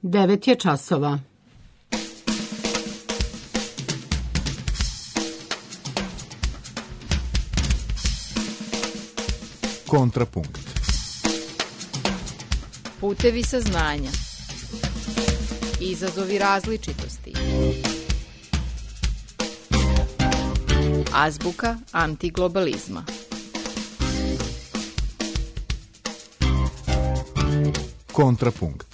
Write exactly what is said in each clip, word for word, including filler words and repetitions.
Devet je časova. Kontrapunkt. Putevi saznanja. Izazovi različitosti. Azbuka antiglobalizma. Kontrapunkt.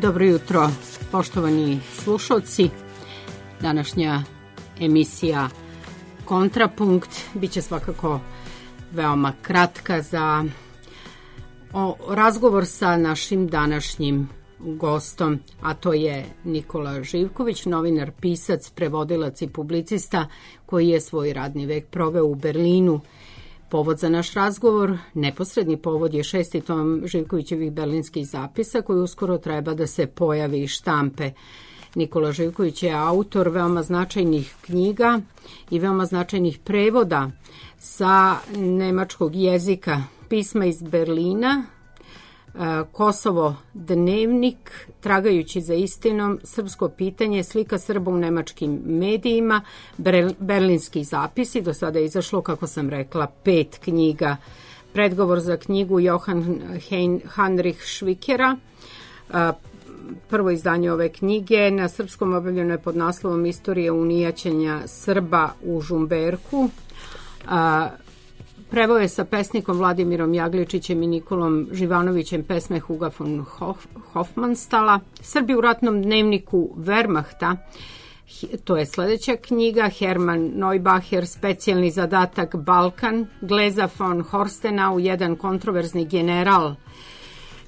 Dobro jutro, poštovani slušalci. Današnja emisija Kontrapunkt biće svakako veoma kratka za o, razgovor sa našim današnjim gostom, a to je Nikola Živković, novinar, pisac, prevodilac i publicista koji je svoj radni vek proveo u Berlinu. Povod za naš razgovor, neposredni povod, je šesti tom Živkovićevih berlinskih zapisa koji uskoro treba da se pojavi iz štampe. Nikola Živković je autor veoma značajnih knjiga i veoma značajnih prevoda sa nemačkog jezika, pisma iz Berlina, Kosovo dnevnik, Tragajući za istinom, Srpsko pitanje, Slika Srba u nemačkim medijima, berlinski zapisi. Do sada je izašlo, kako sam rekla, pet knjiga. Predgovor za knjigu Johann Heinrich Schwickera. Prvo izdanje ove knjige na srpskom objavljeno je pod naslovom Istorija unijaćenja Srba u Žumberku. Preveo je sa pesnikom Vladimirom Jagličićem i Nikolom Živanovićem pesme Huga von Hofmanstala. Srbi u ratnom dnevniku Wehrmachta, to je sledeća knjiga. Hermann Neubacher, Specijalni zadatak Balkan. Gleza von Horstenau, jedan kontroverzni general.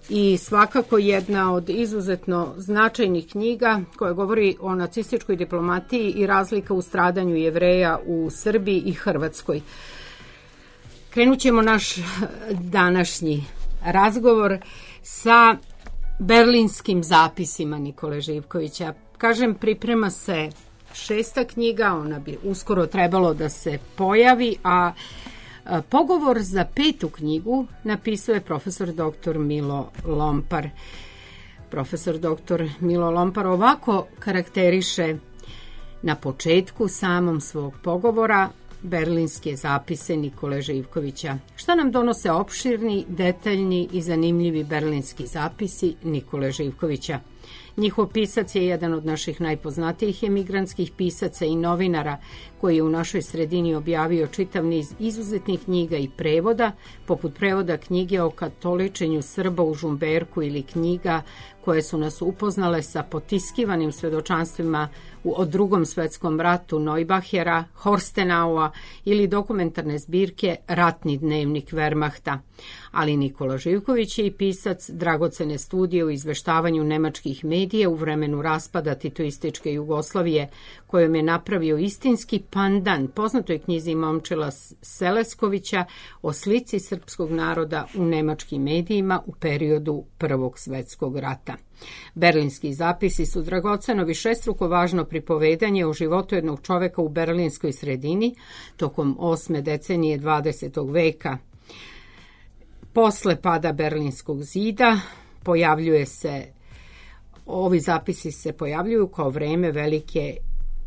I svakako jedna od izuzetno značajnih knjiga koja govori o nacističkoj diplomatiji i razlika u stradanju Jevreja u Srbiji i Hrvatskoj. Krenut ćemo naš današnji razgovor sa berlinskim zapisima Nikole Živkovića. Kažem, priprema se šesta knjiga, ona bi uskoro trebalo da se pojavi, a pogovor za petu knjigu napisao je profesor doktor Milo Lompar. Profesor doktor Milo Lompar ovako karakteriše na početku samom svog pogovora berlinske zapise Nikole Živkovića. Šta nam donose opširni, detaljni i zanimljivi berlinski zapisi Nikole Živkovića? Njihov pisac je jedan od naših najpoznatijih emigrantskih pisaca i novinara koji je u našoj sredini objavio čitav niz izuzetnih knjiga i prevoda, poput prevoda knjige o katoličenju Srba u Žumberku ili knjiga koje su nas upoznale sa potiskivanim svedočanstvima o Drugom svetskom ratu Neubachera, Horstenaua ili dokumentarne zbirke Ratni dnevnik Wehrmachta. Ali Nikola Živković je i pisac dragocene studije u izveštavanju nemačkih medija u vremenu raspada titoističke Jugoslavije, kojom je napravio istinski pandan poznatoj knjizi Momčila Seleskovića o slici srpskog naroda u nemačkim medijima u periodu Prvog svetskog rata. Berlinski zapisi su dragoceno višestruko važno pripovedanje o životu jednog čoveka u berlinskoj sredini tokom osme decenije dvadesetog veka. Posle pada Berlinskog zida pojavljuje se, ovi zapisi se pojavljuju kao vreme velike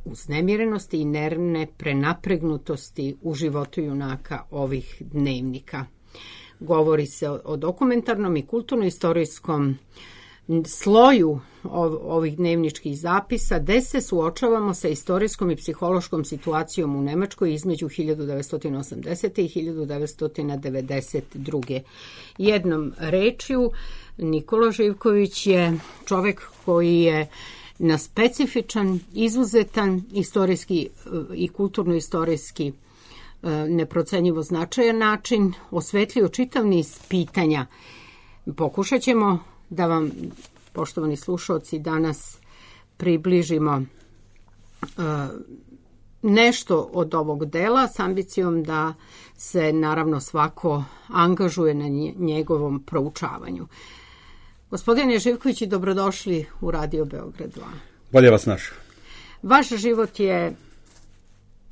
uznemirenosti i nervne prenapregnutosti u životu junaka ovih dnevnika. Govori se o, o dokumentarnom i kulturno-istorijskom sloju ovih dnevničkih zapisa, gde se suočavamo sa istorijskom i psihološkom situacijom u Nemačkoj između hiljadu devetsto osamdesete. i hiljadu devetsto devedeset druge. Jednom rečju, Nikola Živković je čovek koji je na specifičan, izuzetan istorijski i kulturno-istorijski neprocenjivo značajan način osvetlio čitav niz pitanja. Pokušat ćemo da vam, poštovani slušalci, danas približimo uh, nešto od ovog dela s ambicijom da se naravno svako angažuje na njegovom proučavanju. Gospodine Živković, dobrodošli u Radio Beograd dva. Bolje vas našao. Vaš život je,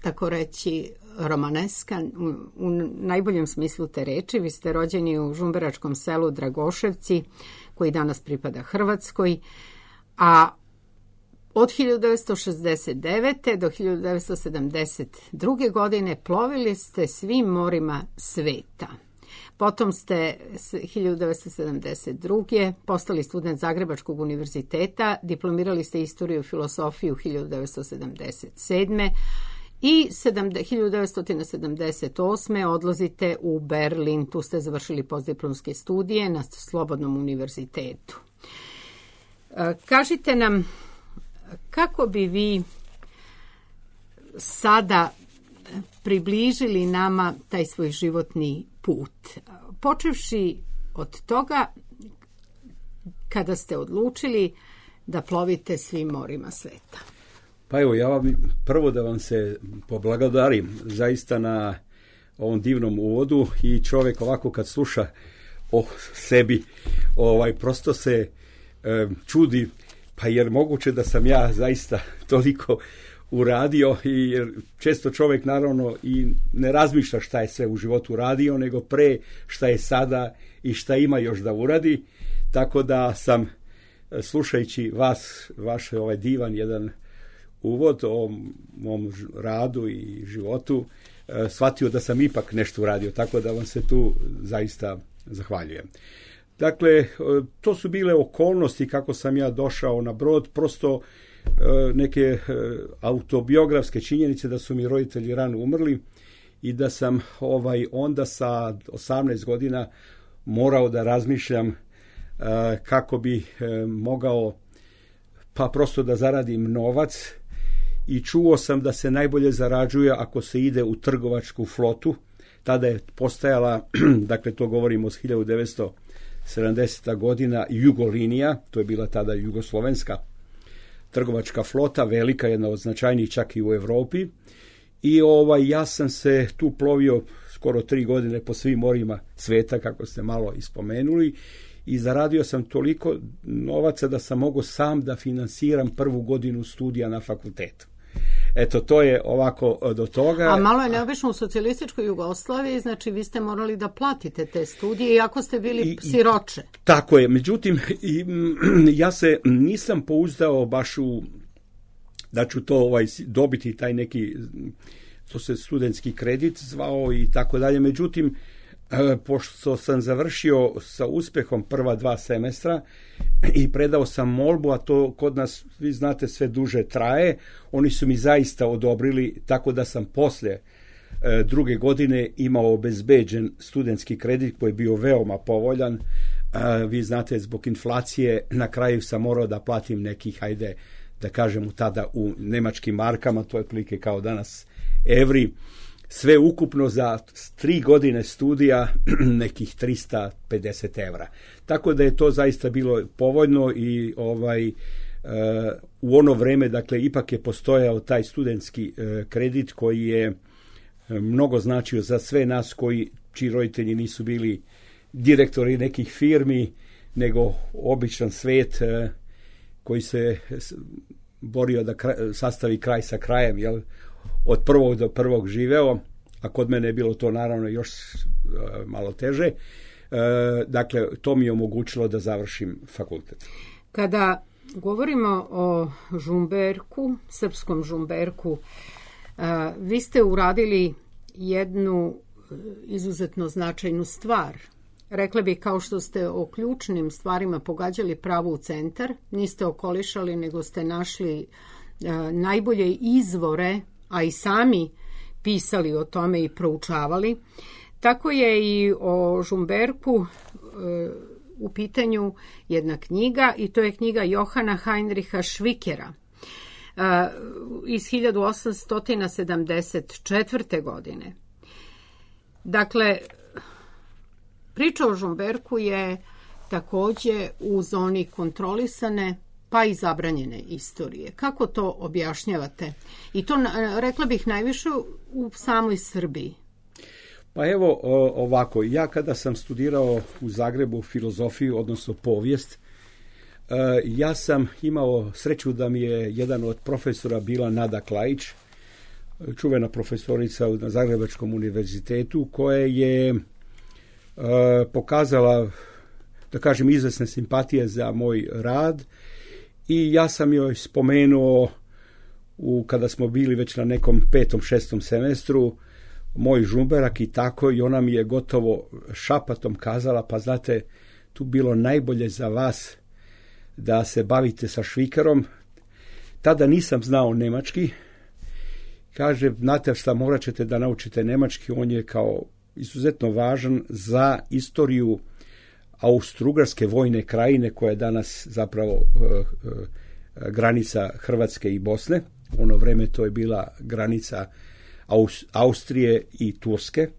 tako reći, romaneskan u, u najboljem smislu te reči. Vi ste rođeni u žumberačkom selu Dragoševci, koji danas pripada Hrvatskoj, a od hiljadu devetsto šezdeset devete. do hiljadu devetsto sedamdeset druge. godine plovili ste svim morima sveta. Potom ste hiljadu devetsto sedamdeset druge. postali student Zagrebačkog univerziteta, diplomirali ste istoriju i filosofiju hiljadu devetsto sedamdeset sedme. i hiljadu devetsto sedamdeset osme. odlazite u Berlin, tu ste završili postdiplomske studije na Slobodnom univerzitetu. Kažite nam, kako bi vi sada približili nama taj svoj životni put, počevši od toga kada ste odlučili da plovite svim morima sveta? Pa evo, ja vam prvo da vam se poblagodarim zaista na ovom divnom uvodu i čovjek ovako kad sluša o sebi, ovaj, prosto se e, čudi, pa jer moguće da sam ja zaista toliko uradio, i jer često čovjek naravno i ne razmišlja šta je sve u životu uradio, nego pre šta je sada i šta ima još da uradi, tako da sam slušajući vas, vaš ovaj divan jedan uvod o mom radu i životu, shvatio da sam ipak nešto uradio, tako da vam se tu zaista zahvaljujem. Dakle, to su bile okolnosti kako sam ja došao na brod, prosto neke autobiografske činjenice da su mi roditelji rano umrli i da sam ovaj onda sa osamnaest godina morao da razmišljam kako bi mogao pa prosto da zaradim novac, i čuo sam da se najbolje zarađuje ako se ide u trgovačku flotu. Tada je postajala, dakle to govorimo od hiljadu devetsto sedamdesete. godina, Jugolinija, to je bila tada jugoslovenska trgovačka flota, velika, jedna od značajnijih čak i u Evropi. I ovaj, ja sam se tu plovio skoro tri godine po svim morima sveta, kako ste malo ispomenuli, i zaradio sam toliko novaca da sam mogao sam da finansiram prvu godinu studija na fakultetu. Eto, to je ovako do toga. A malo je neobično u socijalističkoj Jugoslaviji, znači vi ste morali da platite te studije, iako ste bili I, siroče. Tako je, međutim, i, ja se nisam pouzdao baš u da ću to ovaj, dobiti taj neki, to se studentski kredit zvao i tako dalje, međutim, pošto sam završio sa uspehom prva dva semestra i predao sam molbu, a to kod nas, vi znate, sve duže traje, oni su mi zaista odobrili, tako da sam poslije druge godine imao obezbeđen studentski kredit koji je bio veoma povoljan. Vi znate, zbog inflacije na kraju sam morao da platim nekih, hajde da kažem tada u nemačkim markama, to je otprilike kao danas evri, sve ukupno za tri godine studija nekih trista pedeset evra. Tako da je to zaista bilo povoljno i ovaj uh, u ono vreme, dakle, ipak je postojao taj studentski uh, kredit koji je mnogo značio za sve nas koji, čiji roditelji nisu bili direktori nekih firmi, nego običan svet uh, koji se borio da kraj, sastavi kraj sa krajem, jel? Od prvog do prvog živeo, a kod mene je bilo to naravno još uh, malo teže. Uh, dakle, to mi je omogućilo da završim fakultet. Kada govorimo o Žumberku, srpskom Žumberku, vi ste uradili jednu izuzetno značajnu stvar. Rekla bih, kao što ste o ključnim stvarima pogađali pravo u centar, niste okolišali, nego ste našli najbolje izvore, a i sami pisali o tome i proučavali. Tako je i o Žumberku u pitanju jedna knjiga, i to je knjiga Johana Heinricha Švikera iz hiljadu osamsto sedamdeset četvrte. godine. Dakle, priča o Žumberku je takođe u zoni kontrolisane pa i zabranjene istorije. Kako to objašnjavate? I to, rekla bih, najviše u samoj Srbiji. Pa evo ovako, ja kada sam studirao u Zagrebu filozofiju, odnosno povijest, ja sam imao sreću da mi je jedan od profesora bila Nada Klajić, čuvena profesorica na Zagrebačkom univerzitetu, koja je pokazala, da kažem, izvesne simpatije za moj rad, i ja sam joj spomenuo, u, kada smo bili već na nekom petom, šestom semestru, moj Žumberak i tako, i ona mi je gotovo šapatom kazala, pa znate, tu bilo najbolje za vas da se bavite sa Švikerom. Tada nisam znao nemački. Kaže, znate šta, morat ćete da naučite nemački, on je kao izuzetno važan za istoriju Austro-Ugarske vojne krajine, koja je danas zapravo uh, uh, granica Hrvatske i Bosne. U ono vreme to je bila granica Aus- Austrije i Turske.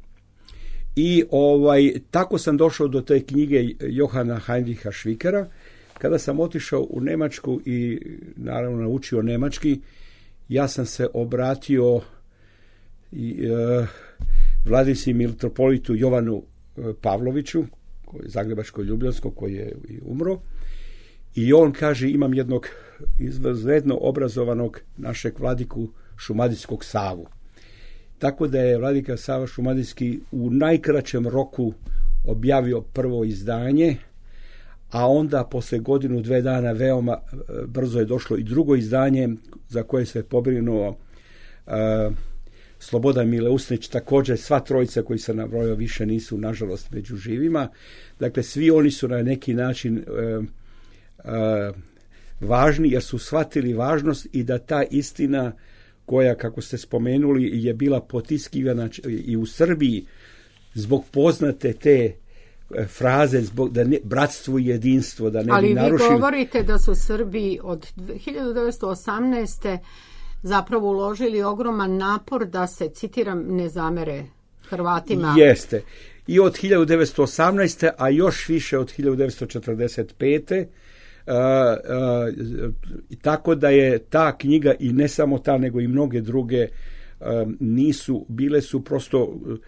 I ovaj, tako sam došao do te knjige Johana Heinricha Švikera. Kada sam otišao u Nemačku i naravno naučio nemački, ja sam se obratio i, e, Vladisi mitropolitu Jovanu Pavloviću, Zagrebačko-Ljubljansko, koji je umro, i on kaže, imam jednog izvanredno obrazovanog našeg vladiku Šumadijskog Savu. Tako da je vladika Sava Šumadijski u najkraćem roku objavio prvo izdanje, a onda posle godinu, dve dana veoma brzo je došlo i drugo izdanje, za koje se pobrinuo uh, Slobodan Mileusnić, također sva trojica koji se nabrojao više nisu, nažalost, među živima. Dakle, svi oni su na neki način uh, uh, važni, jer su shvatili važnost i da ta istina koja, kako ste spomenuli, je bila potiskivana i u Srbiji zbog poznate te fraze, zbog da ne, bratstvo i jedinstvo, da ne Ali bi narušili. Ali vi govorite da su Srbi od hiljadu devetsto osamnaeste. zapravo uložili ogroman napor da se, citiram, ne zamere Hrvatima. Jeste. I od hiljadu devetsto osamnaeste. a još više od hiljadu devetsto četrdeset pete. Uh, uh, tako da je ta knjiga, i ne samo ta, nego i mnoge druge, uh, nisu, bile su prosto, uh,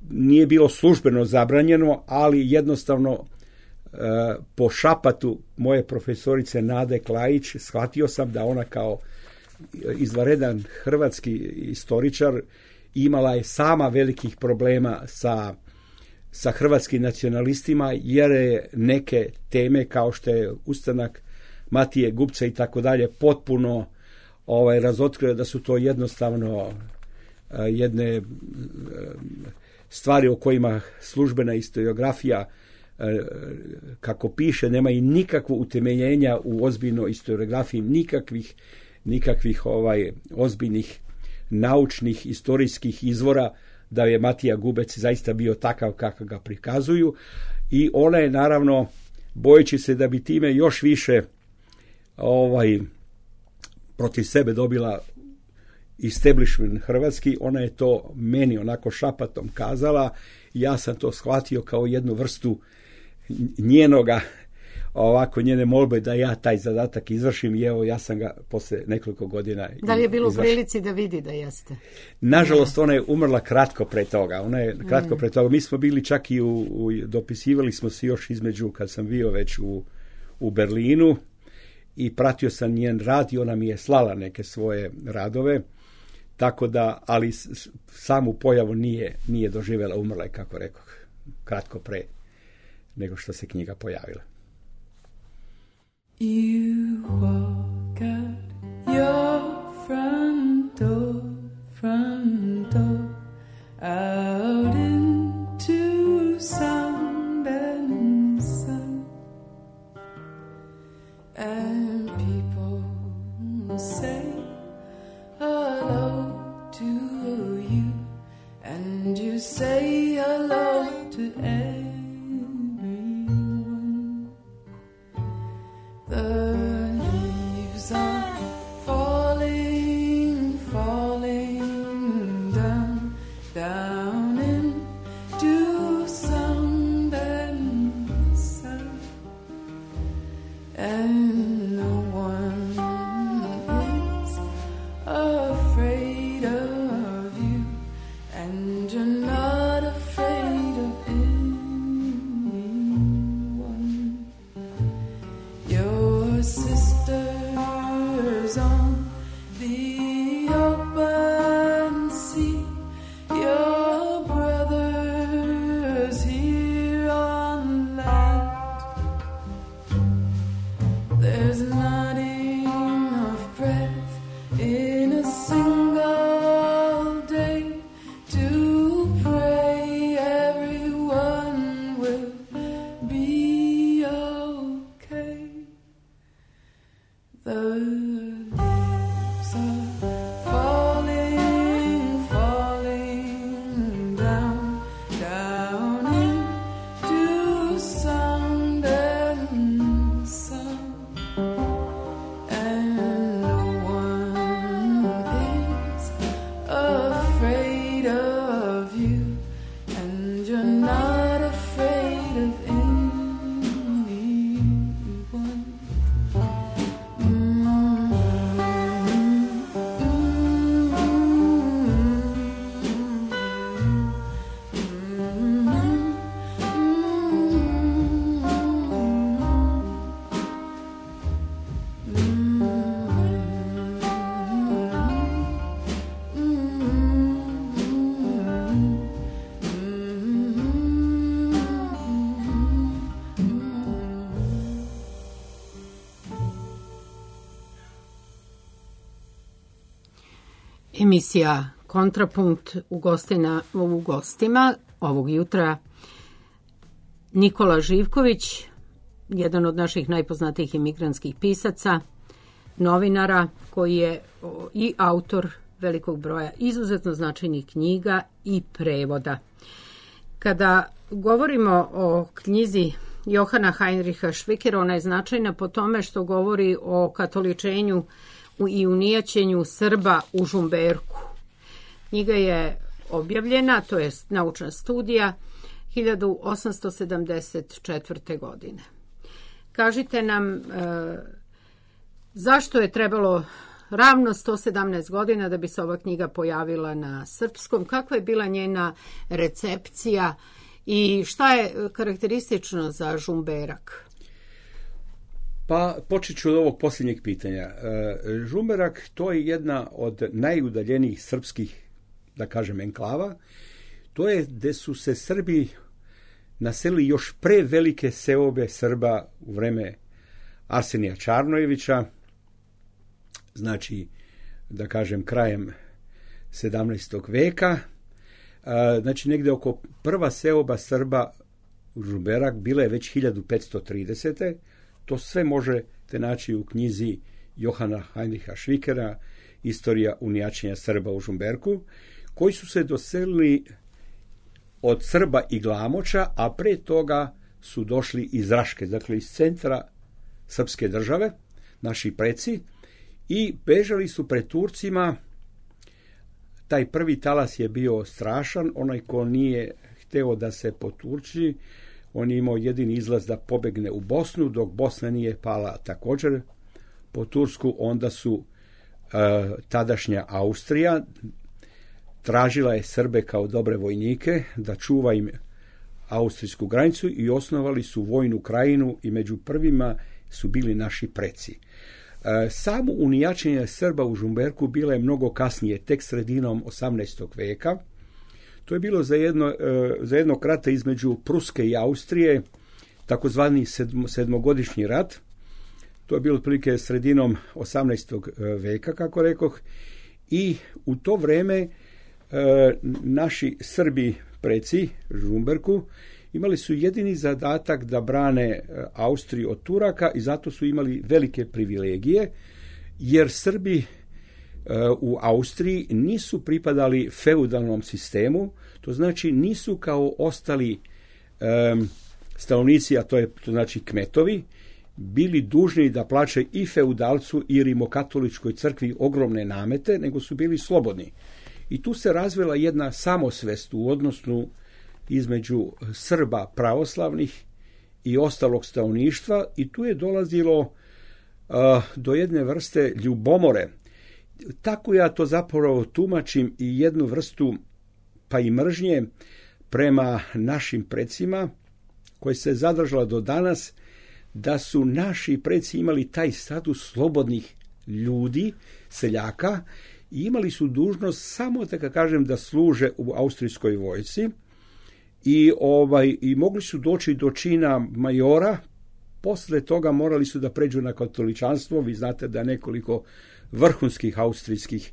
nije bilo službeno zabranjeno, ali jednostavno uh, po šapatu moje profesorice Nade Klajić shvatio sam da ona kao izvanredan hrvatski istoričar imala je sama velikih problema sa sa hrvatskim nacionalistima, jer je neke teme kao što je ustanak Matije Gubca i tako dalje potpuno ovaj, razotkrio da su to jednostavno uh, jedne uh, stvari o kojima službena historiografija, uh, kako piše, nema i nikakvo utemeljenja u ozbiljnoj historiografiji, nikakvih, nikakvih ovaj, ozbiljnih naučnih, istorijskih izvora da je Matija Gubec zaista bio takav kako ga prikazuju, i ona je naravno, bojeći se da bi time još više ovaj, protiv sebe dobila establishment hrvatski, ona je to meni onako šapatom kazala, i ja sam to shvatio kao jednu vrstu njenoga, ovako njene molbe da ja taj zadatak izvršim, i evo ja sam ga posle nekoliko godina Da li je bilo u prilici da vidi da jeste? Nažalost, ona je umrla kratko pre toga. Ona je kratko mm. pre toga. Mi smo bili čak i u, u dopisivali smo se još između, kad sam bio već u, u Berlinu, i pratio sam njen rad i ona mi je slala neke svoje radove, tako da, ali samu pojavu nije, nije doživjela, umrla je, kako rekoh, kratko pre nego što se knjiga pojavila. You walk out your front door, front door, out into sound and sun, and people say hello to you, and you say hello to everyone. The leaves are falling, falling down, down into sound and sound, and no one is afraid of you, and you're not afraid of anyone. Your sisters on the open sea, your brothers here on land. There's not enough breath in a single day to pray everyone will be okay. The leaves are falling, falling down, down into sound and sound, and no one is afraid of you, and you're not afraid of anyone. Emisija Kontrapunkt u, gostina, u gostima ovog jutra Nikola Živković, jedan od naših najpoznatijih imigrantskih pisaca, novinara koji je o, i autor velikog broja izuzetno značajnih knjiga i prevoda. Kada govorimo o knjizi Johana Heinricha Švikera, ona je značajna po tome što govori o katoličenju i unijaćenju Srba u Žumberku. Knjiga je objavljena, to je naučna studija, hiljadu osamsto sedamdeset četvrte. godine. Kažite nam e, zašto je trebalo ravno sto sedamnaest godina da bi se ova knjiga pojavila na srpskom, kakva je bila njena recepcija i šta je karakteristično za Žumberak? Pa počet ću od ovog posljednjeg pitanja. Žumberak to je jedna od najudaljenijih srpskih, da kažem, enklava. To je gde su se Srbi naselili još pre velike seobe Srba u vreme Arsenija Čarnojevića, znači, da kažem, krajem sedamnaestog veka. Znači, negde oko prva seoba Srba u Žumberak bila je već hiljadu petsto tridesete. To sve možete naći u knjizi Johana Heinricha Švikera, Istorija unijaćenja Srba u Žumberku, koji su se doselili od Srba i Glamoča, a pre toga su došli iz Raške, dakle iz centra srpske države, naši preci, i bežali su pred Turcima. Taj prvi talas je bio strašan, onaj ko nije hteo da se poturči, on je imao jedini izlaz da pobegne u Bosnu, dok Bosna nije pala također po Tursku, onda su uh, tadašnja Austrija tražila je Srbe kao dobre vojnike da čuva im austrijsku granicu i osnovali su vojnu krajinu i među prvima su bili naši preci. E, samo unijačenje Srba u Žumberku bilo je mnogo kasnije, tek sredinom osamnaestog veka. To je bilo za jedno, e, za jedno rata između Pruske i Austrije, takozvani sedmo, sedmogodišnji rat. To je bilo otprilike sredinom osamnaestog veka, kako rekoh, i u to vreme e, naši Srbi preci, Žumberku, imali su jedini zadatak da brane Austriju od Turaka i zato su imali velike privilegije, jer Srbi u Austriji nisu pripadali feudalnom sistemu, to znači nisu kao ostali um, stanovnici, a to je to znači kmetovi, bili dužni da plaćaju i feudalcu i rimokatoličkoj crkvi ogromne namete, nego su bili slobodni. I tu se razvila jedna samosvest u odnosu između Srba pravoslavnih i ostalog stanovništva i tu je dolazilo uh, do jedne vrste ljubomore. Tako ja to zapravo tumačim i jednu vrstu pa i mržnje prema našim precima koja se zadržala do danas, da su naši preci imali taj status slobodnih ljudi, seljaka, i imali su dužnost samo, da kažem, da služe u austrijskoj vojsci i, ovaj, i mogli su doći do čina majora. Posle toga morali su da pređu na katoličanstvo. Vi znate da nekoliko vrhunskih austrijskih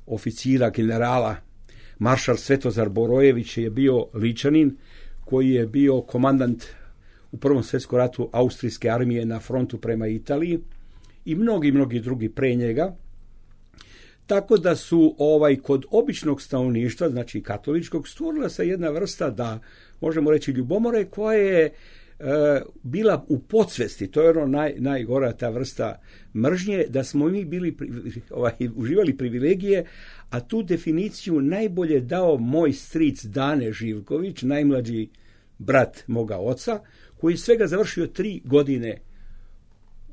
oficira, generala, maršal Svetozar Borojević je bio Ličanin, koji je bio komandant u Prvom svjetskom ratu austrijske armije na frontu prema Italiji i mnogi, mnogi drugi pre njega. Tako da su ovaj kod običnog stanovništva, znači katoličkog, stvorila se jedna vrsta, da možemo reći, ljubomore koja je e, bila u podsvesti. To je ono naj, najgora ta vrsta mržnje, da smo mi bili ovaj, uživali privilegije, a tu definiciju najbolje dao moj stric Dane Živković, najmlađi brat moga oca, koji svega završio tri godine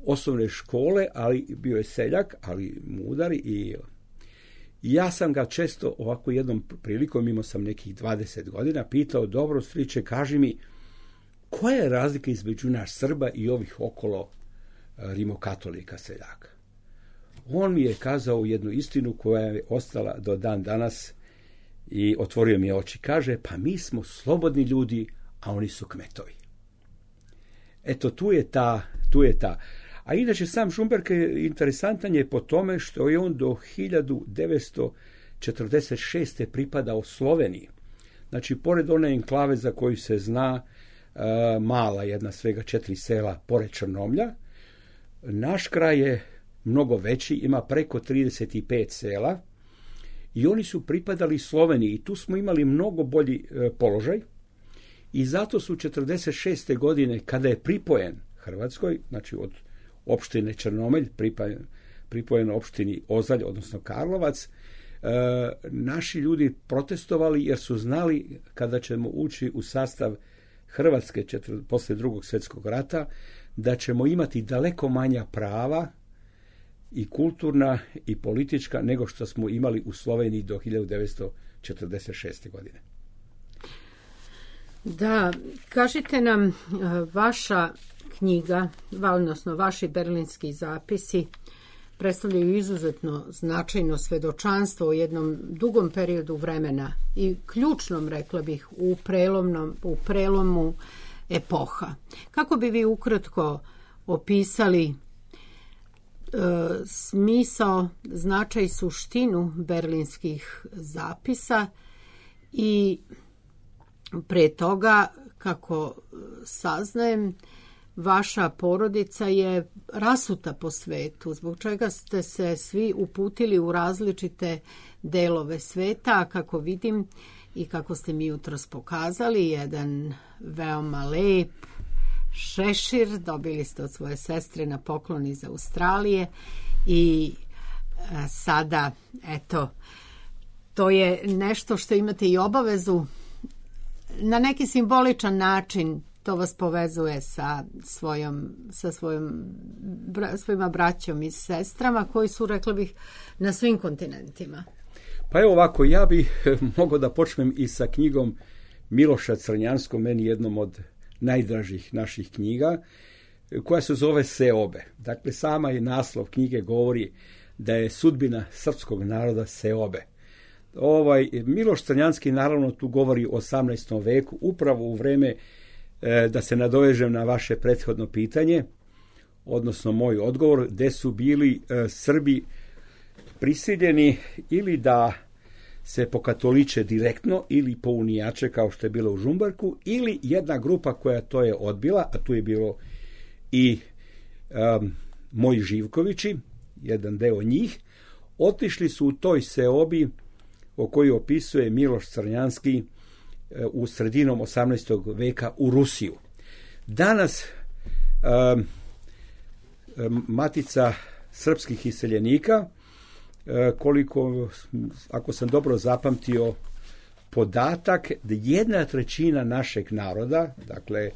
osnovne škole, ali bio je seljak, ali mudar. I ja sam ga često ovako jednom prilikom, imao sam nekih dvadeset godina, pitao, dobro striče, kaži mi, koja je razlika između nas Srba i ovih okolo rimokatolika seljaka? On mi je kazao jednu istinu koja je ostala do dan danas i otvorio mi je oči. Kaže, pa mi smo slobodni ljudi, a oni su kmetovi. Eto, tu je ta, tu je ta. A inače, sam Žumberk je interesantan je po tome što je on do hiljadu devetsto četrdeset šeste pripadao Sloveniji. Znači, pored one enklave za koju se zna, mala jedna, svega četiri sela pored Črnomlja, naš kraj je mnogo veći, ima preko trideset pet sela i oni su pripadali Sloveniji i tu smo imali mnogo bolji položaj i zato su četrdeset šeste godine, kada je pripojen Hrvatskoj, znači od opštine Črnomelj, pripojen, pripojen opštini Ozalj, odnosno Karlovac, e, naši ljudi protestovali jer su znali kada ćemo ući u sastav Hrvatske četir, posle drugog svjetskog rata, da ćemo imati daleko manja prava i kulturna i politička nego što smo imali u Sloveniji do hiljadu devetsto četrdeset šeste godine. Da, kažite nam, vaša knjiga, odnosno vaši berlinski zapisi, predstavljaju izuzetno značajno svedočanstvo u jednom dugom periodu vremena i ključnom, rekla bih, u prelomnom, u prelomu epoha. Kako bi vi ukratko opisali e, smisao, značaj i suštinu berlinskih zapisa i pre toga, kako saznajem, vaša porodica je rasuta po svetu, zbog čega ste se svi uputili u različite delove sveta, a kako vidim i kako ste mi jutros pokazali, jedan veoma lep šešir dobili ste od svoje sestre na poklon iz Australije i a, sada, eto, to je nešto što imate i obavezu na neki simboličan način. To vas povezuje sa svojom, sa svojom, bra, svojima braćom i sestrama koji su, rekla bih, na svim kontinentima. Pa evo ovako, ja bih mogao da počnem i sa knjigom Miloša Crnjanskog, meni jednom od najdražih naših knjiga, koja se zove Seobe. Dakle, sama i naslov knjige govori da je sudbina srpskog naroda seobe. Ovaj, Miloš Crnjanski naravno tu govori o osamnaestom veku, upravo u vreme, da se nadovežem na vaše prethodno pitanje, odnosno moj odgovor, gde su bili e, Srbi prisiljeni ili da se pokatoliče direktno ili po unijače kao što je bilo u Žumberku, ili jedna grupa koja to je odbila, a tu je bilo i um, moji Živkovići, jedan deo njih, otišli su u toj seobi o kojoj opisuje Miloš Crnjanski u sredinom osamnaestog veka u Rusiju. Danas um, Matica srpskih iseljenika, koliko, ako sam dobro zapamtio podatak, da jedna trećina našeg naroda, dakle,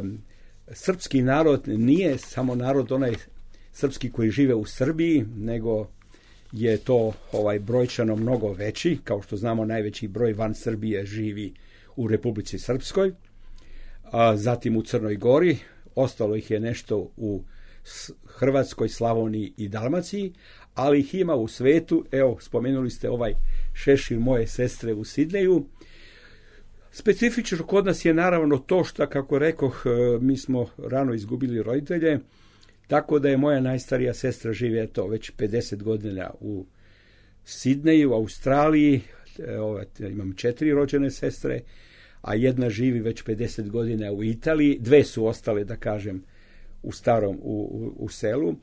um, srpski narod nije samo narod onaj srpski koji žive u Srbiji, nego je to ovaj brojčano mnogo veći. Kao što znamo, najveći broj van Srbije živi u Republici Srpskoj, a zatim u Crnoj Gori, ostalo ih je nešto u Hrvatskoj, Slavoniji i Dalmaciji, ali ih ima u svetu. Evo, spomenuli ste ovaj šešir moje sestre u Sidneju. Specifično kod nas je naravno to što, kako rekoh, mi smo rano izgubili roditelje, tako da je moja najstarija sestra živi to već pedeset godina u Sidneju, u Australiji. Evo, imam četiri rođene sestre, a jedna živi već pedeset godina u Italiji. Dve su ostale, da kažem, u starom, u, u, u selu.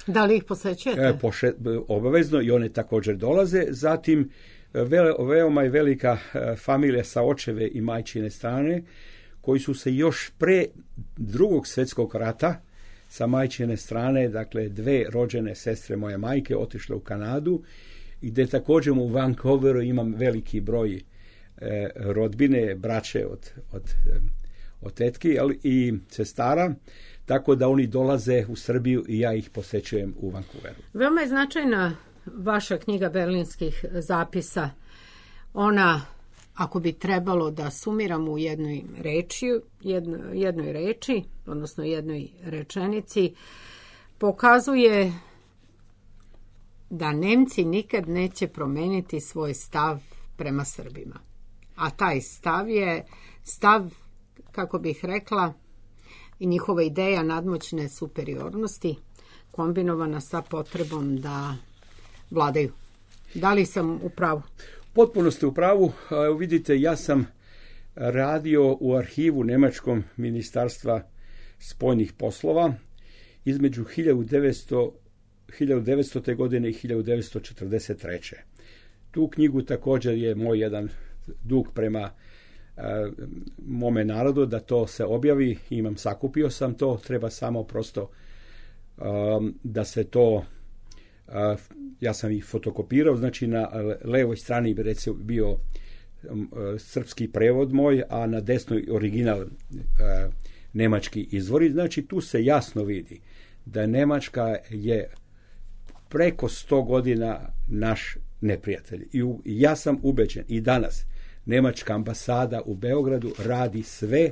Da li ih posećujete? Poše, obavezno, i one također dolaze. Zatim, ve, veoma je velika familija sa očeve i majčine strane, koji su se još pre drugog svjetskog rata sa majčine strane, dakle dve rođene sestre moje majke, otišle u Kanadu, i gde također u Vancouveru imam veliki broj e, rodbine, braće od, od, od tetki, ali i sestara, tako da oni dolaze u Srbiju i ja ih posećujem u Vancouveru. Veoma je značajna vaša knjiga berlinskih zapisa. Ona, ako bi trebalo da sumiramo u jednoj reči, jedno, jednoj reči, odnosno jednoj rečenici, pokazuje da Nemci nikad neće promeniti svoj stav prema Srbima. A taj stav je stav, kako bih rekla, i njihova ideja nadmoćne superiornosti kombinovana sa potrebom da vladaju. Da li sam u pravu? Potpuno ste u pravu. Vidite, ja sam radio u arhivu Nemačkom ministarstva spoljnih poslova između hiljadu devetsto godine i hiljadu devetsto četrdeset treće. Tu knjigu također je moj jedan dug prema uh, mome narodu da to se objavi. Imam, sakupio sam to, treba samo prosto um, da se to, uh, ja sam ih fotokopirao, znači na levoj strani bi recimo bio um, srpski prevod moj, a na desnoj original uh, nemački izvori. Znači tu se jasno vidi da Nemačka je preko sto godina naš neprijatelj. I u, ja sam ubeđen i danas nemačka ambasada u Beogradu radi sve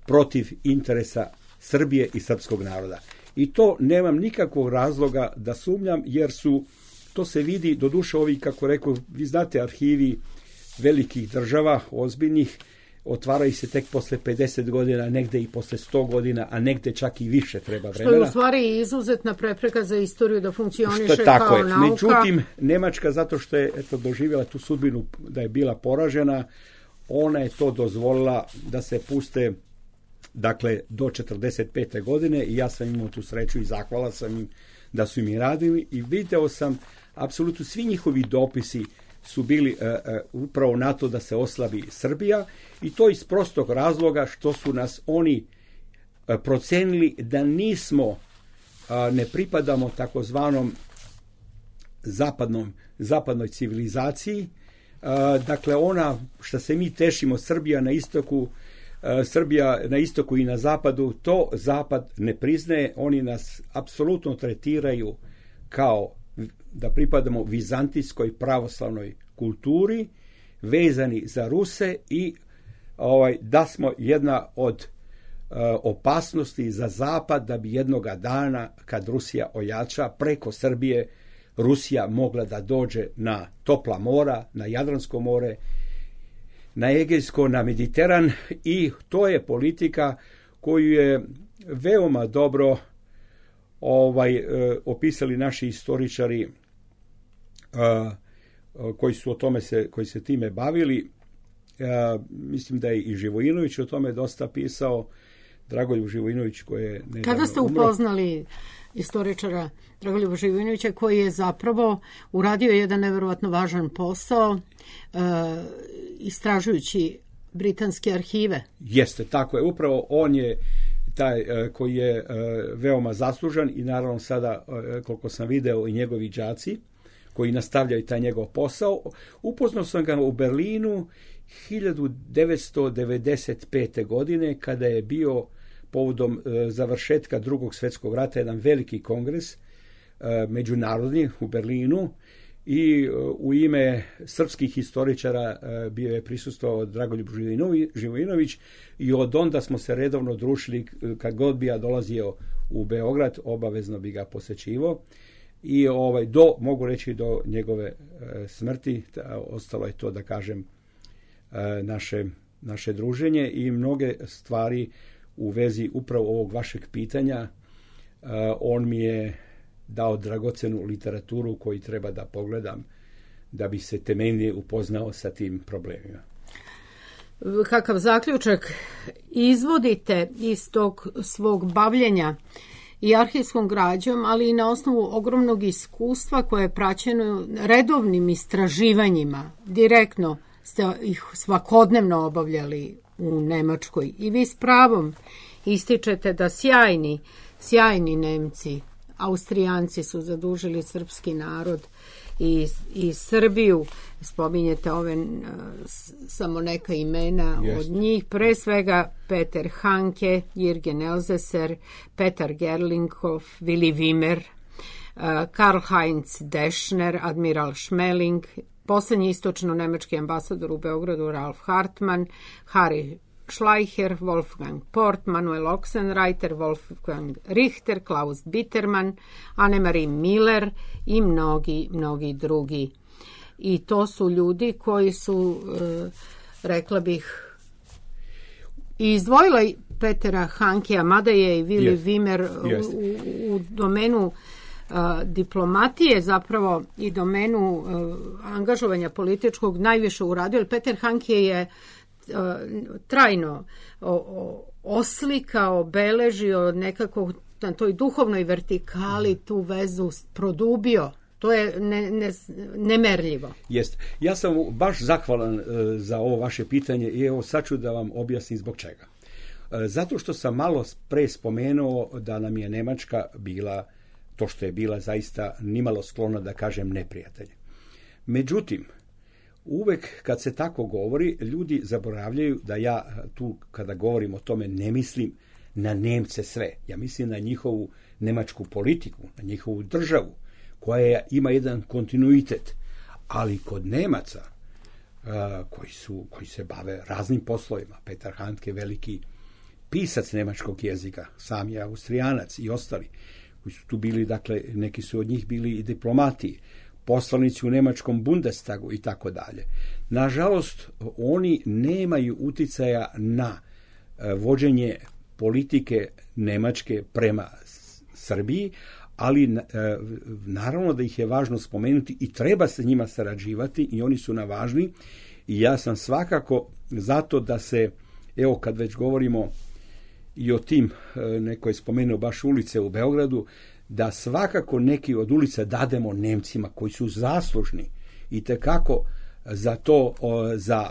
protiv interesa Srbije i srpskog naroda. I to nemam nikakvog razloga da sumnjam, jer su, to se vidi, doduše ovi, kako rekao, vi znate, arhivi velikih država, ozbiljnih, otvaraju se tek posle pedeset godina, negde i posle sto godina, a negde čak i više treba vremena. Što je u stvari izuzetna prepreka za istoriju da funkcioniše što, kao tako je. nauka. Međutim, Nemačka, zato što je eto, doživjela tu sudbinu da je bila poražena, ona je to dozvolila da se puste, dakle, do četrdeset pete godine, i ja sam imao tu sreću i zahvala sam im da su mi radili, i video sam apsolutno svi njihovi dopisi su bili uh, uh, upravo na to da se oslabi Srbija, i to iz prostog razloga što su nas oni uh, procenili da nismo, uh, ne pripadamo takozvanom zapadnom, zapadnoj civilizaciji. Uh, dakle, ona što se mi tešimo, Srbija na istoku, uh, Srbija na istoku i na zapadu, to zapad ne priznaje. Oni nas apsolutno tretiraju kao da pripadamo vizantijskoj pravoslavnoj kulturi, vezani za Ruse, i ovaj, da smo jedna od uh, opasnosti za zapad, da bi jednoga dana, kad Rusija ojača, preko Srbije Rusija mogla da dođe na topla mora, na Jadransko more, na Egejsko, na Mediteran, i to je politika koju je veoma dobro ovaj, e, opisali naši istoričari e, koji su o tome se, koji se time bavili. E, mislim da je i Živojinović o tome dosta pisao, Dragoljub Živojinović koji je nedavno Kada ste umro. upoznali istoričara Dragoljuba Živojinovića koji je zapravo uradio jedan nevjerovatno važan posao e, istražujući britanske arhive? Jeste, tako je. Upravo on je taj e, koji je e, veoma zaslužan i naravno sada, e, koliko sam video, i njegovi đaci koji nastavljaju taj njegov posao. Upoznao sam ga u Berlinu hiljadu devetsto devedeset pete. godine kada je bio povodom e, završetka Drugog svjetskog rata jedan veliki kongres e, međunarodni u Berlinu i e, u ime srpskih historičara e, bio je prisustvovao Dragoljub Živojinović i od onda smo se redovno družili, kad god bi ja dolazio u Beograd, obavezno bi ga posećivao. I ovaj, do, mogu reći do njegove e, smrti, ta, ostalo je to, da kažem, e, naše, naše druženje i mnoge stvari u vezi upravo ovog vašeg pitanja. E, on mi je dao dragocenu literaturu koju treba da pogledam da bi se temeljnije upoznao sa tim problemima. Kakav zaključak izvodite iz tog svog bavljenja i arhivskom građom, ali i na osnovu ogromnog iskustva koje je praćeno redovnim istraživanjima? Direktno ste ih svakodnevno obavljali u Nemačkoj i vi s pravom ističete da sjajni, sjajni Nemci, Austrijanci su zadužili srpski narod i, i Srbiju. Spominjete ove uh, samo neka imena Jest. od njih, pre svega Peter Hanke, Jürgen Elsässer, Petar Gerlinghoff, Willy Wimmer, uh, Karl-Heinz Deschner, admiral Schmeling, posljednji istočno-nemački ambasador u Beogradu Ralf Hartmann, Harry Schleicher, Wolfgang Port, Manuel Oxenreiter, Wolfgang Richter, Klaus Bittermann, Annemarie Miller i mnogi, mnogi drugi. I to su ljudi koji su, e, rekla bih, i izdvojila Petera Hankea, mada je i Willy Yes. Wimmer Yes. u, u domenu uh, diplomatije zapravo i domenu uh, angažovanja političkog najviše uradio, jer Peter Hanke je uh, trajno o, o, oslikao, obeležio nekako na toj duhovnoj vertikali tu vezu produbio. To je ne, ne, nemerljivo. Jest. Ja sam baš zahvalan e, za ovo vaše pitanje i evo sad ću da vam objasnim zbog čega. E, zato što sam malo pre spomenuo da nam je Nemačka bila, to što je bila, zaista nimalo sklona da kažem neprijatelj. Međutim, uvek kad se tako govori, ljudi zaboravljaju da ja tu kada govorim o tome ne mislim na Nemce sve. Ja mislim na njihovu nemačku politiku, na njihovu državu, koja ima jedan kontinuitet, ali kod Nemaca uh, koji, su, koji se bave raznim poslovima, Petar Handke, veliki pisac nemačkog jezika, sam je Austrijanac i ostali, koji su tu bili, dakle, neki su od njih bili i diplomati, poslanici u nemačkom Bundestagu i tako dalje. Nažalost, oni nemaju uticaja na uh, vođenje politike Nemačke prema Srbiji, ali naravno da ih je važno spomenuti i treba se njima sarađivati i oni su na važni i ja sam svakako zato da se, evo kad već govorimo i o tim, neko je spomenuo baš ulice u Beogradu, da svakako neki od ulica dademo Nemcima koji su zaslužni i tekako za to, za,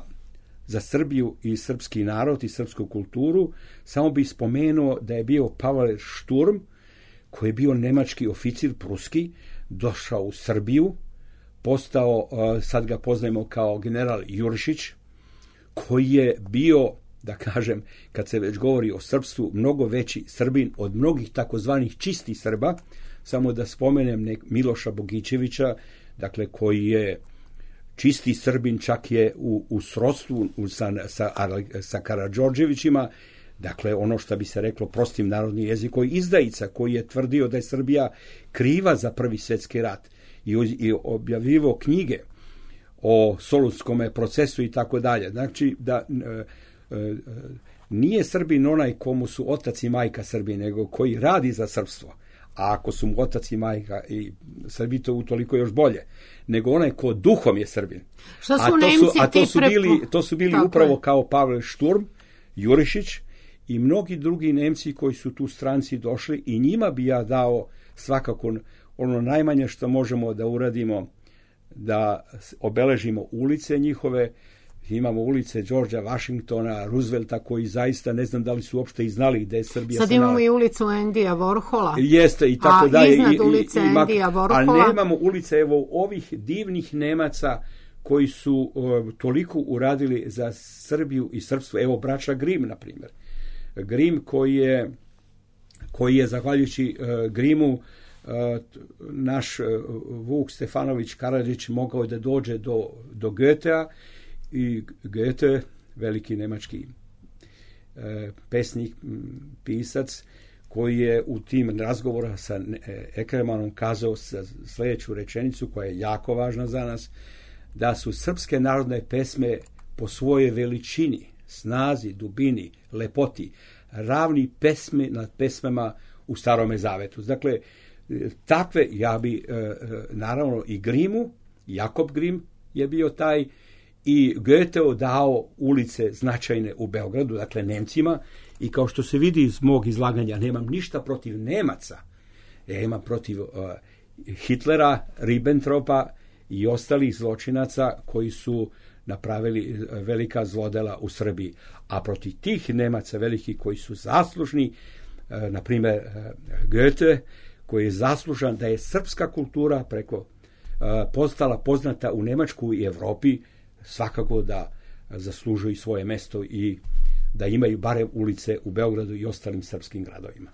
za Srbiju i srpski narod i srpsku kulturu. Samo bih spomenuo da je bio Pavel Sturm, koji je bio nemački oficir pruski, došao u Srbiju, postao, sad ga poznajemo kao general Jurišić, koji je bio, da kažem, kad se već govori o srpstvu, mnogo veći Srbin od mnogih takozvanih čistih Srba. Samo da spomenem nek Miloša Bogićevića, dakle, koji je čisti Srbin, čak je u, u srodstvu sa, sa, sa Karađorđevićima, dakle, ono što bi se reklo prostim narodnim jezikom, izdajica koji je tvrdio da je Srbija kriva za Prvi svjetski rat i, i objavljivo knjige o Solunskome procesu i tako dalje. Znači, da, nije Srbin onaj komu su otac i majka Srbi, nego koji radi za srpstvo. A ako su mu otac i majka i Srbi, to utoliko još bolje, nego onaj ko duhom je Srbin. Šta su a to Nemci su, a to su prepo... bili, to su bili upravo je. Kao Pavle Šturm, Jurišić i mnogi drugi Nemci koji su tu stranci došli, i njima bi ja dao svakako ono najmanje što možemo da uradimo, da obeležimo ulice njihove. Imamo ulice Georgea Washingtona, Roosevelta, koji zaista ne znam da li su uopšte i znali gde je Srbija. Sad imamo i ulicu Endija Warhola. Jeste i tako a dalje. iznad I, ulice i, i, Endija Warhola. A nemamo ulice evo ovih divnih Nemaca koji su uh, toliko uradili za Srbiju i srpstvo. Evo braća Grimm, na primjer. Grimm koji je, koji je zahvaljujući uh, Grimmu uh, naš uh, Vuk Stefanović Karadžić mogao da dođe do, do Goethea. I Goethe, veliki nemački e, pesnik, pisac, koji je u tim razgovora sa Ekremanom kazao sljedeću rečenicu koja je jako važna za nas, da su srpske narodne pesme po svojoj veličini, snazi, dubini, lepoti, ravni pesme nad pesmama u Starome Zavetu. Dakle, takve, ja bi, e, naravno, i Grimmu, Jakob Grimm je bio taj, i Goetheu dao ulice značajne u Beogradu, dakle Nemcima, i kao što se vidi iz mog izlaganja, nemam ništa protiv Nemaca, ja imam protiv uh, Hitlera, Ribbentropa i ostalih zločinaca koji su napravili velika zlodela u Srbiji. A protiv tih Nemaca velikih koji su zaslužni, uh, na primjer uh, Goethe, koji je zaslužan da je srpska kultura preko uh, postala poznata u Nemačku i Evropi, svakako da zaslužuju svoje mesto i da imaju barem ulice u Beogradu i ostalim srpskim gradovima.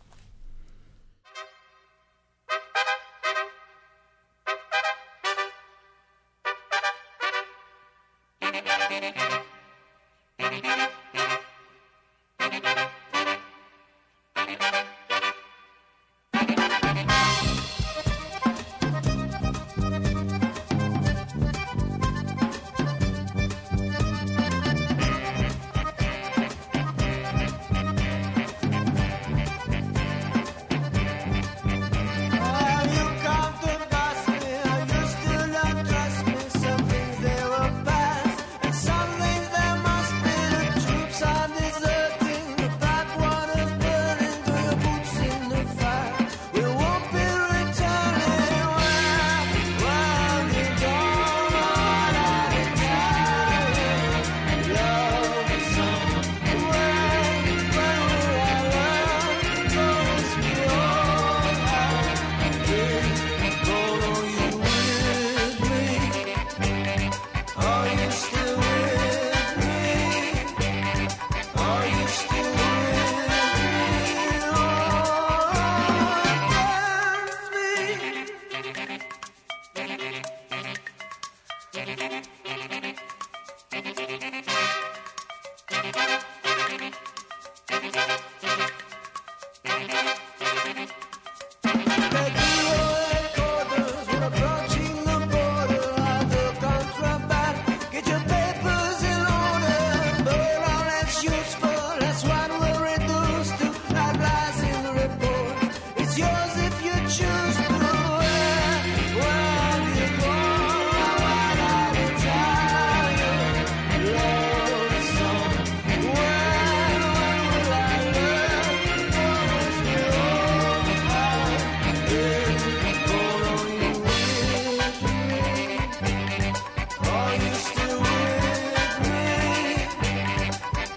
Are you still with me?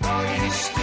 Are you still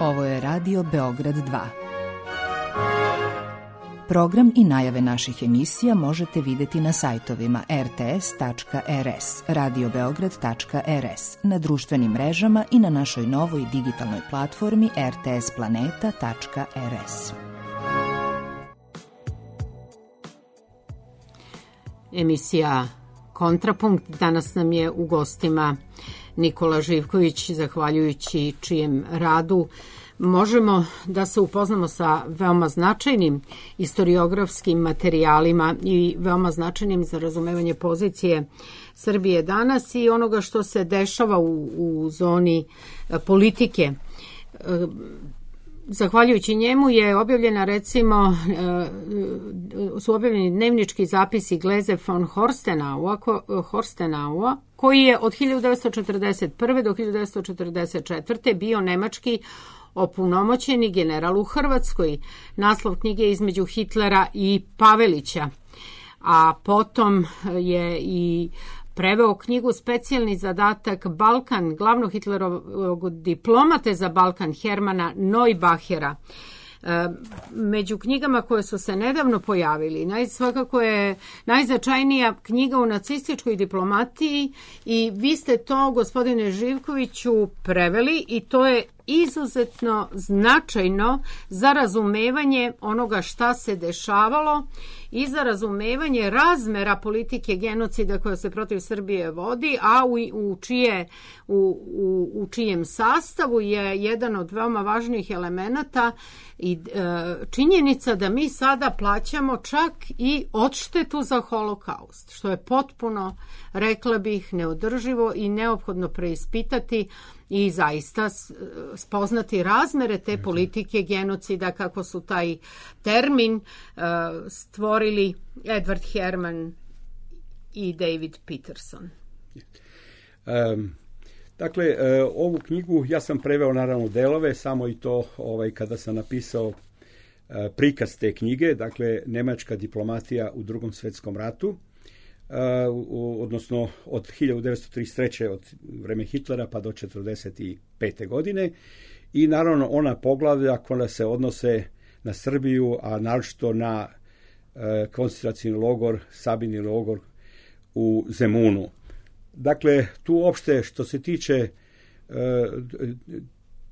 Ovo je Radio Beograd dva. Program i najave naših emisija možete vidjeti na sajtovima er te es tačka er es, radio beograd tačka er es, na društvenim mrežama i na našoj novoj digitalnoj platformi er te es planeta tačka er es. Emisija Kontrapunkt. Danas nam je u gostima Nikola Živković, zahvaljujući čijem radu možemo da se upoznamo sa veoma značajnim istoriografskim materijalima i veoma značajnim za razumevanje pozicije Srbije danas i onoga što se dešava u, u zoni politike. Zahvaljujući njemu je objavljena, recimo, su objavljeni dnevnički zapisi Gleze von Horstenaua, Horstenaua, koji je od hiljadu devetsto četrdeset prve do hiljadu devetsto četrdeset četvrte bio nemački opunomoćeni general u Hrvatskoj. Naslov knjige je Između Hitlera i Pavelića, a potom je i preveo knjigu Specijalni zadatak Balkan glavnog Hitlerovog diplomate za Balkan Hermana Neubachera. Među knjigama koje su se nedavno pojavili, naj, svakako je najznačajnija knjiga u nacističkoj diplomatiji i vi ste to, gospodine Živkoviću, preveli i to je izuzetno značajno za razumevanje onoga šta se dešavalo i za razumevanje razmera politike genocida koja se protiv Srbije vodi, a u, u, čije, u, u, u čijem sastavu je jedan od veoma važnijih elemenata i e, činjenica da mi sada plaćamo čak i odštetu za holokaust, što je potpuno, rekla bih, neodrživo i neophodno preispitati i zaista spoznati razmere te politike genocida, kako su taj termin uh, stvorili Edward Herman i David Peterson. Um, dakle, uh, ovu knjigu ja sam preveo naravno delove, samo i to ovaj, kada sam napisao uh, prikaz te knjige, dakle, nemačka diplomatija u Drugom svjetskom ratu. Uh, odnosno od hiljadu devetsto trideset treće od vreme Hitlera pa do četrdeset pete godine i naravno ona poglavlja koja se odnose na Srbiju, a naročito na uh, koncentracioni logor, Sabini logor u Zemunu. Dakle, tu uopšte što se tiče uh,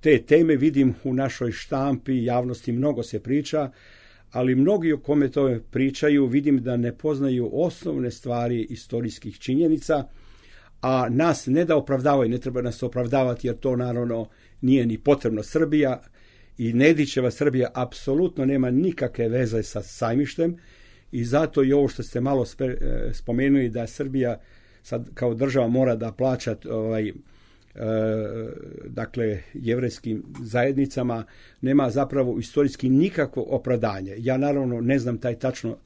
te teme vidim u našoj štampi, javnosti mnogo se priča, ali mnogi o kome to pričaju vidim da ne poznaju osnovne stvari istorijskih činjenica, a nas ne da opravdavaju, ne treba nas opravdavati jer to naravno nije ni potrebno. Srbija i Nedićeva Srbija apsolutno nema nikakve veze sa Sajmištem i zato i ovo što ste malo spomenuli da Srbija sad kao država mora da plaća ovaj, E, dakle jevrejskim zajednicama nema zapravo istorijski nikakvo opravdanje. Ja naravno ne znam taj tačno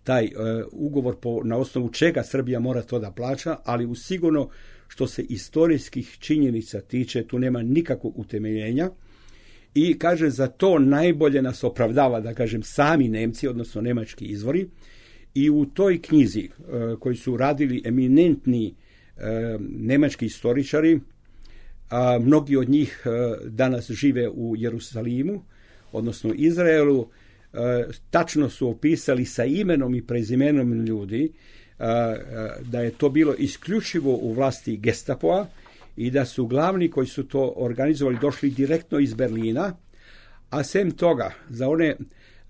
taj e, ugovor po, na osnovu čega Srbija mora to da plaća, ali u sigurno što se istorijskih činjenica tiče tu nema nikakvog utemeljenja i kaže za to najbolje nas opravdava da kažem sami Nemci, odnosno nemački izvori i u toj knjizi e, koji su radili eminentni e, nemački istoričari. A mnogi od njih danas žive u Jerusalimu, odnosno Izraelu, tačno su opisali sa imenom i prezimenom ljudi da je to bilo isključivo u vlasti Gestapoa i da su glavni koji su to organizovali došli direktno iz Berlina, a sem toga, za one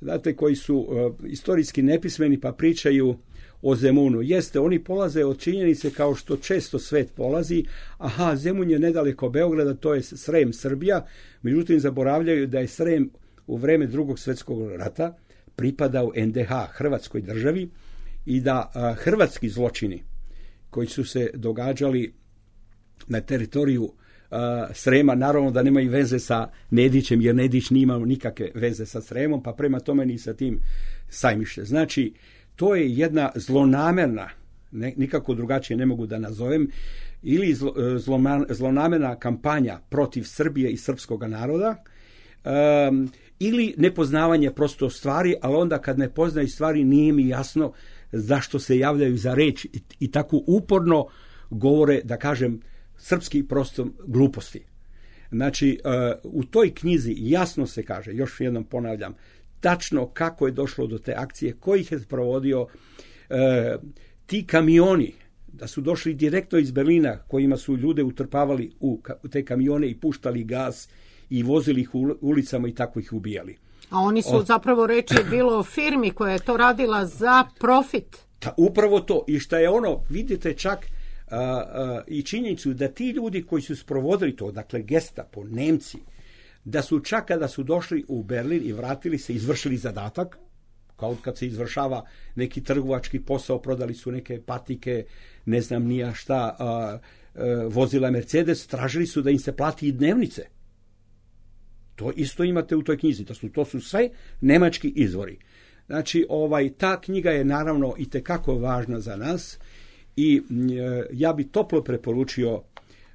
znate, koji su istorijski nepismeni pa pričaju o Zemunu. Jeste, oni polaze od činjenice kao što često svet polazi, aha, Zemun je nedaleko Beograda, to je Srem, Srbija, međutim zaboravljaju da je Srem u vreme Drugog svjetskog rata pripadao en de ha, Hrvatskoj državi, i da a, hrvatski zločini koji su se događali na teritoriju a, Srema, naravno da nemaju veze sa Nedićem, jer Nedić nije imao nikakve veze sa Sremom, pa prema tome ni sa tim Sajmište. Znači, to je jedna zlonamerna, ne, nikako drugačije ne mogu da nazovem, ili zlo, zloman, zlonamerna kampanja protiv Srbije i srpskog naroda, um, ili nepoznavanje prosto stvari, ali onda kad ne poznaju stvari nije mi jasno zašto se javljaju za reč i, i tako uporno govore, da kažem, srpski prosto gluposti. Znači, u toj knjizi jasno se kaže, još jednom ponavljam, tačno kako je došlo do te akcije, ko ih je provodio, ti kamioni, da su došli direktno iz Berlina, kojima su ljude utrpavali u te kamione i puštali gas i vozili ih u ulicama i tako ih ubijali. A oni su, o, zapravo reći je bilo o firmi koja je to radila za profit. Ta, upravo to. I šta je ono, vidite čak a, a, i činjenicu da ti ljudi koji su sprovodili to, dakle Gestapo, Nemci, da su čak kada su došli u Berlin i vratili se, izvršili zadatak, kao kad se izvršava neki trgovački posao, prodali su neke patike, ne znam nija šta, a, a, vozila Mercedes, tražili su da im se plati i dnevnice. To isto imate u toj knjizi, to su, to su sve nemački izvori. Znači, ovaj, ta knjiga je naravno i tekako važna za nas i e, ja bi toplo preporučio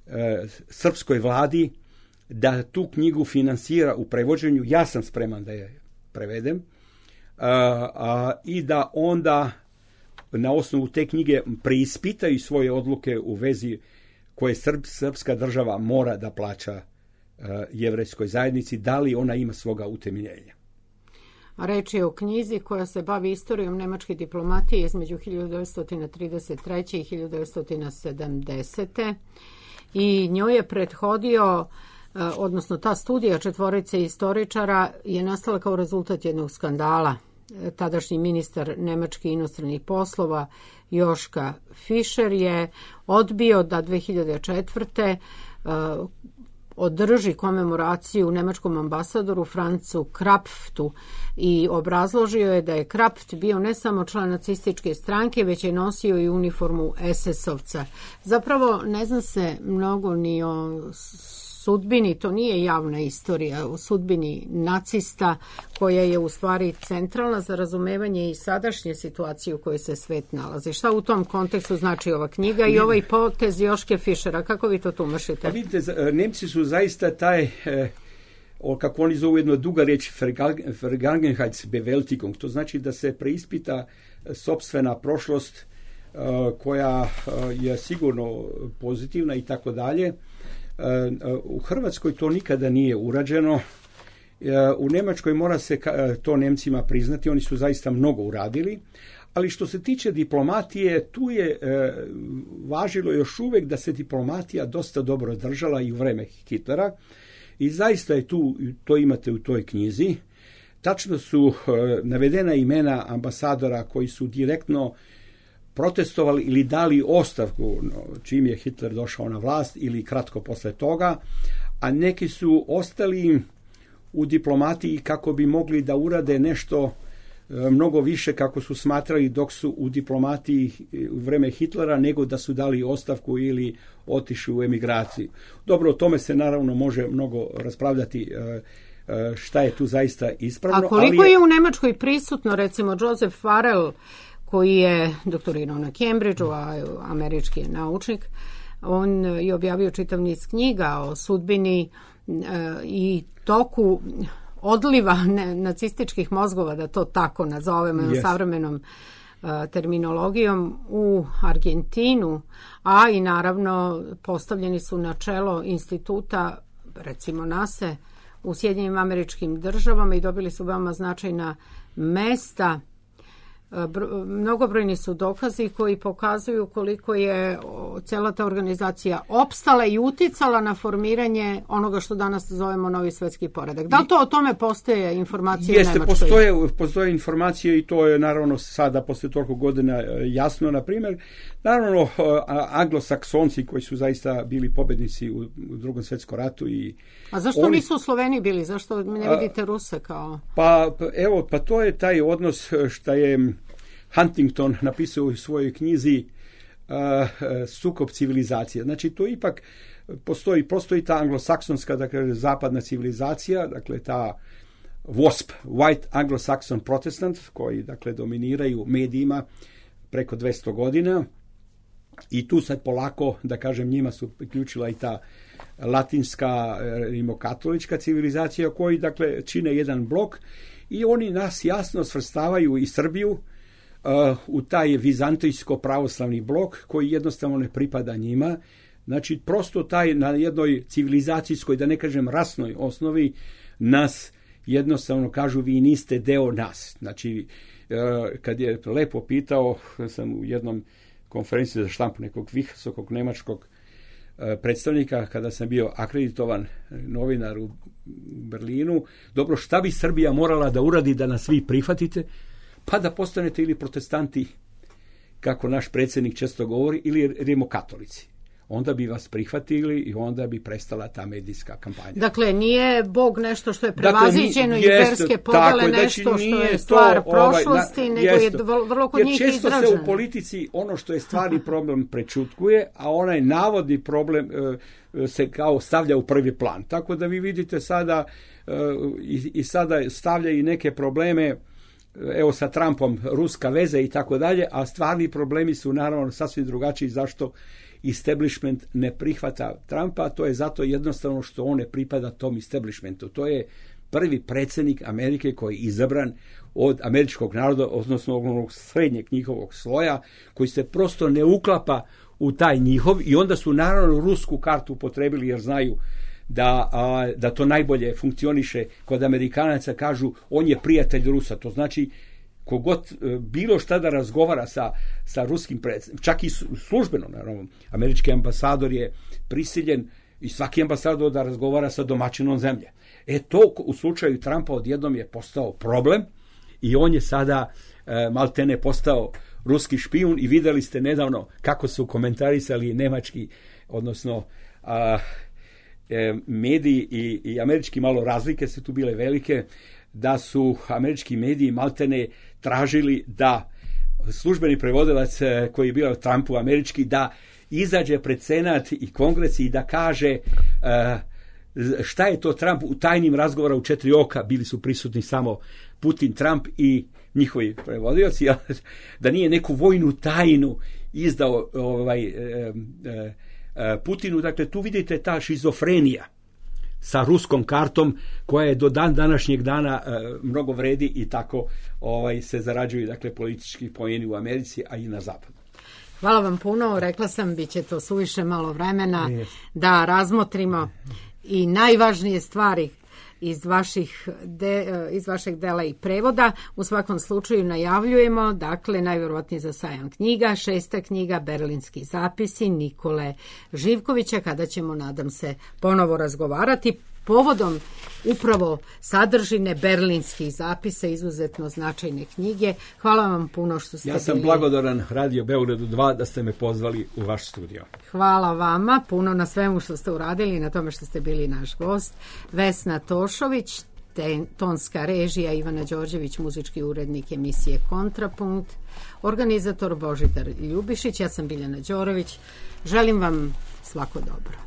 e, srpskoj vladi da tu knjigu finansira u prevođenju. Ja sam spreman da je prevedem a, a, i da onda na osnovu te knjige preispitaju svoje odluke u vezi koje Srb, srpska država mora da plaća jevrejskoj zajednici, da li ona ima svoga utemeljenja. A reč je o knjizi koja se bavi istorijom nemačke diplomatije između hiljadu devetsto trideset treće. i hiljadu devetsto sedamdesete. I njoj je prethodio, odnosno ta studija četvorice istoričara je nastala kao rezultat jednog skandala. Tadašnji ministar nemačkih inostranih poslova Joška Fischer je odbio da dve hiljade četvrte. održi komemoraciju nemačkom ambasadoru Francu Krapftu i obrazložio je da je Krapft bio ne samo član nacističke stranke, već je nosio i uniformu es es ovca. Zapravo ne zna se mnogo ni o sudbini, to nije javna istorija, o sudbini nacista koja je u stvari centralna za razumevanje i sadašnje situacije u kojoj se svet nalazi. Šta u tom kontekstu znači ova knjiga i ovaj potez Joške Fischera? Kako vi to tumašite? Pa vidite, Nemci su zaista taj, kako oni zovu jedno duga riječ, Vergangenheitsbewältigung, to znači da se preispita sopstvena prošlost koja je sigurno pozitivna i tako dalje. U Hrvatskoj to nikada nije urađeno. U Njemačkoj mora se to Nemcima priznati, oni su zaista mnogo uradili, ali što se tiče diplomatije, tu je važilo još uvijek da se diplomatija dosta dobro držala i u vreme Hitlera i zaista je tu, to imate u toj knjizi, tačno su navedena imena ambasadora koji su direktno protestovali ili dali ostavku čim je Hitler došao na vlast ili kratko posle toga, a neki su ostali u diplomatiji kako bi mogli da urade nešto mnogo više kako su smatrali dok su u diplomatiji u vreme Hitlera nego da su dali ostavku ili otišli u emigraciju. Dobro, o tome se naravno može mnogo raspravljati šta je tu zaista ispravno. A koliko ali je... je u Nemačkoj prisutno recimo Joseph Farrell koji je doktorirao na Cambridgeu, a američki je naučnik. On je objavio čitav niz knjiga o sudbini e, i toku odliva ne, nacističkih mozgova, da to tako nazovemo yes. savremenom e, terminologijom, u Argentinu, a i naravno postavljeni su na čelo instituta, recimo nase, u Sjedinjenim Američkim Državama i dobili su veoma značajna mesta. Mnogobrojni su dokazi koji pokazuju koliko je cela ta organizacija opstala i uticala na formiranje onoga što danas zovemo novi svetski poredak. Da li to o tome postoje informacije Jeste, u Nemačkoj? Postoje, postoje informacije i to je naravno sada posle toliko godina jasno. Na primjer, naravno anglosaksonci koji su zaista bili pobednici u, u drugom svetskom ratu. I a zašto oni, nisu Sloveni bili? Zašto ne vidite Ruse kao? Pa evo, pa to je taj odnos što je Huntington napisao u svojoj knjizi uh, Sukob civilizacije. Znači to ipak postoji, postoji ta anglosaksonska, dakle zapadna civilizacija, dakle ta W A S P, White Anglo-Saxon Protestant, koji dakle dominiraju medijima preko dvesta godina i tu sad polako, da kažem, njima su priključila i ta latinska rimokatolička civilizacija koji dakle čine jedan blok i oni nas jasno svrstavaju i Srbiju uh, u taj vizantijsko pravoslavni blok koji jednostavno ne pripada njima. Znači, prosto taj na jednoj civilizacijskoj, da ne kažem rasnoj osnovi, nas jednostavno kažu vi niste deo nas. Znači, kad je lepo pitao, sam u jednom konferenciji za štampu nekog visokog nemačkog predstavnika, kada sam bio akreditovan novinar u Berlinu, dobro, šta bi Srbija morala da uradi da nas vi prihvatite? Pa da postanete ili protestanti, kako naš predsjednik često govori, ili rimokatolici. Onda bi vas prihvatili i onda bi prestala ta medijska kampanja. Dakle, nije Bog nešto što je prevaziđeno dakle, i verske podele tako, nešto znači, što je stvar to, prošlosti, ovaj, na, nego je vrlo kod jer njih često izraženo. se u politici ono što je stvarni problem prečutkuje, a onaj navodni problem e, se kao stavlja u prvi plan. Tako da vi vidite sada e, i, i sada stavlja i neke probleme, evo sa Trumpom, ruska veza i tako dalje, a stvarni problemi su naravno sasvim drugačiji. Zašto establishment ne prihvata Trumpa? To je zato jednostavno što on ne pripada tom establishmentu. To je prvi predsjednik Amerike koji je izabran od američkog naroda, odnosno onog srednjeg njihovog sloja, koji se prosto ne uklapa u taj njihov, i onda su naravno rusku kartu upotrebili jer znaju da, a, da to najbolje funkcioniše. Kod Amerikanaca kažu on je prijatelj Rusa, to znači kogod bilo šta da razgovara sa, sa ruskim predsjednikom, čak i službeno, naravno, američki ambasador je prisiljen i svaki ambasador da razgovara sa domaćinom zemlje. E to u slučaju Trumpa odjednom je postao problem i on je sada e, maltene postao ruski špijun i vidjeli ste nedavno kako su komentarisali nemački, odnosno a, e, mediji i, i američki, malo razlike su tu bile velike, da su američki mediji maltene tražili da službeni prevodilac koji je bio Trumpu američki, da izađe pred Senat i Kongres i da kaže uh, šta je to Trump u tajnim razgovora u četiri oka, bili su prisutni samo Putin, Trump i njihovi prevodioci, da nije neku vojnu tajnu izdao ovaj, uh, uh, Putinu. Dakle, tu vidite ta šizofrenija sa ruskom kartom koja je do dan današnjeg dana e, mnogo vredi i tako ovaj, se zarađuju dakle, politički poeni u Americi, a i na zapadu. Hvala vam puno. Rekla sam, bit će to suviše malo vremena da razmotrimo i najvažnije stvari iz, vaših de, iz vašeg dela i prevoda. U svakom slučaju najavljujemo, dakle, najvjerovatnije za sajam knjiga, šesta knjiga, Berlinski zapisi Nikole Živkovića, kada ćemo, nadam se, ponovo razgovarati povodom upravo sadržine berlinskih zapisa, izuzetno značajne knjige. Hvala vam puno što ste bili. Ja sam bili... blagodaran Radio Beogradu dva da ste me pozvali u vaš studio. Hvala vama puno na svemu što ste uradili i na tome što ste bili naš gost. Vesna Tošović, ten, tonska režija, Ivana Đorđević, muzički urednik emisije Kontrapunkt, organizator Božidar Ljubišić, ja sam Biljana Đorović. Želim vam svako dobro.